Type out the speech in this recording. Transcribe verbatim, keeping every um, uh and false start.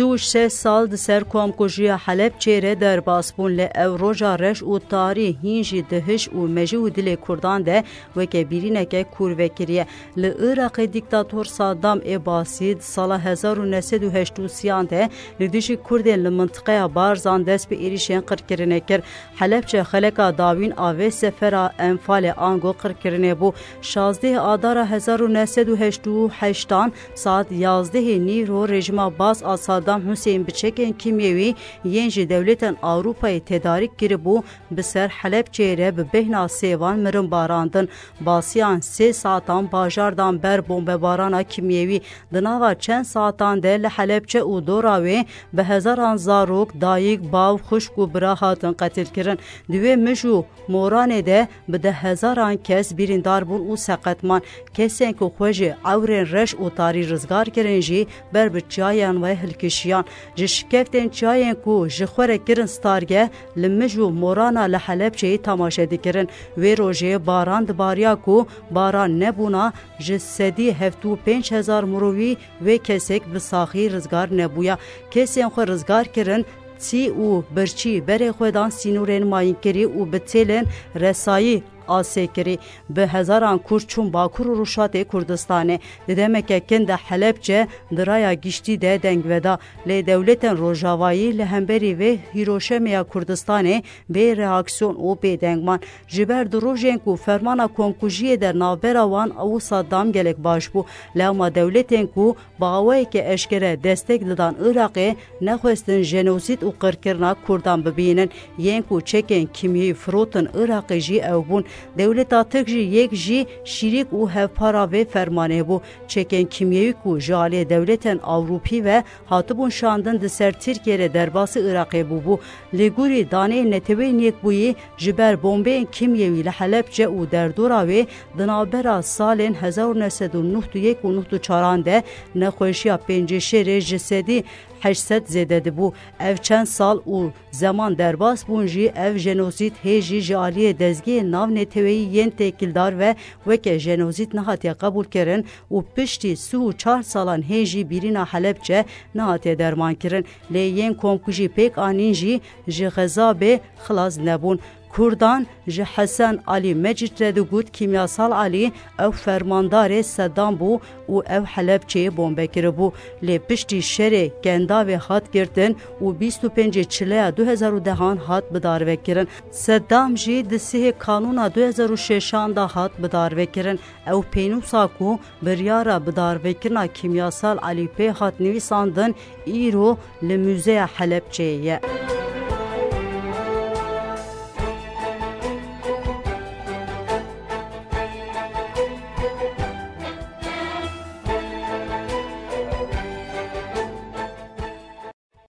Sî û şeş sal di ser komkujiya Helebçê re derbas bûn, lê ew roja reş û tarî hîn jî di hiş û mejî û dilê Kurdan de weke bîrîneke kûr vekiriye. Li Iraqê dîktator Saddam ê Basî di sala hezar û neh sed û heştê û sêyan de li dijî Kurdên li mintiqeya Barzan dest bi êrîşên qirkirinê kir. Helebçe xeleka dawîn a vê sefera Enfalê ango qirkirinê bû. Şazdehê Adara hezar û neh sed û heştê û heştan saet yazdehê nîro rejîma Baas a Saddam Huseyîn bi çekên kîmyewî yên ji dewletên Ewropayê tedarîk kiribû, bi ser Helebçeyê re bi bêhna sêvan mirin barandin. Basiyan sê saetan bajardan ber bombebarana kîmyewî. Di nava çend saetan de li Helebçe û dora wê bi hezaran zarok, dayik, bav, xwişk û bira hatin qetilkirin. Di wê mij û moranê de bi deh hezaran kes birîndar bûn û seqet man. Kesên ku xwe ji ewrên reş û tarî rizgar kirin jî ber bi çiyayan ve hilkişiyan. Ji şikeftên çiyayên ku ji xwe re kirin stargeh, li mij û morana li Helebçeyê temaşe dikirin. Wê rojê baran dibariya ku baran nebûna, ji sedî hevtû û pênc hezar mirovî wê kesek bi saxî rizgar nebûya. Kesên xwe rizgar kirin, çî û birçî berê xwe dan sînorên mayînkirî û bi têlên resayî asê kirî. Bi hezaran Kurd çûn Bakur û Rojhatê Kurdistanê. Di demeke kin de Helebçe di raya giştî de deng veda. Lê dewletên Rojavayî li hemberî vê hîroşemeya Kurdistanê bê reaksiyon û bêdeng man. Ji ber di rojên ku fermana komkujiyê de navbera wan û Saddam gelek baş bû. Lewma dewletên ku bi awayeke eşkere destek didan Iraqê nexwestin jenosîd û qirkirina Kurdan bibînin. Yên ku çekên kîmyeyî firotin Iraqê jî ew bûn. Dewleta Tirk jî yek jî şirîk û hevpara vê fermanê bû. Çekên kîmyewî ku ji aliyê dewletên Ewropî ve hatibûn şandin di ser Tirkiye re derbasî Iraqê bûbû. Li gorî daneyên Neteweyên Yekbûyî, ji ber bombeyên kîmyewî li Helebçe û derdora wê di navbera salên hezar û neh sed û nod û yek û nod û çaran de nexweşiya pêncê şerê ji sedî heşt sed zêde dibû. Ev çend sal û zeman derbas bûn jî ev jenosîd hê jî ji aliyê dezgehên navneteweyî yên têkildar ve weke jenosîd nehatiye qebûlkirin û piştî sî û çar salan hê jî bîrîna Helebçe nehatiye dermankirin. Lê yên komkujî pêk anîn jî ji xezabê xilas nebûn. Kurdan ji Hesen Alî Mecîd re digot, Kîmyasal Alî ew fermandarê Seddam bû û ew Helebçeyê bombe kiribû. Lê piştî şerê Kendavê hat girtin û bîst û pêncê Çileya du hezar û dehan hat bidarvekirin. Seddam jî di sihê Kanûna du hezar û şeşan de hat bidarvekirin. Ew pênûsa ku biryara bidarvekirina Kîmyasal Alî pê hat nivîsandin, îro li Muzeya Helebçeyê ye.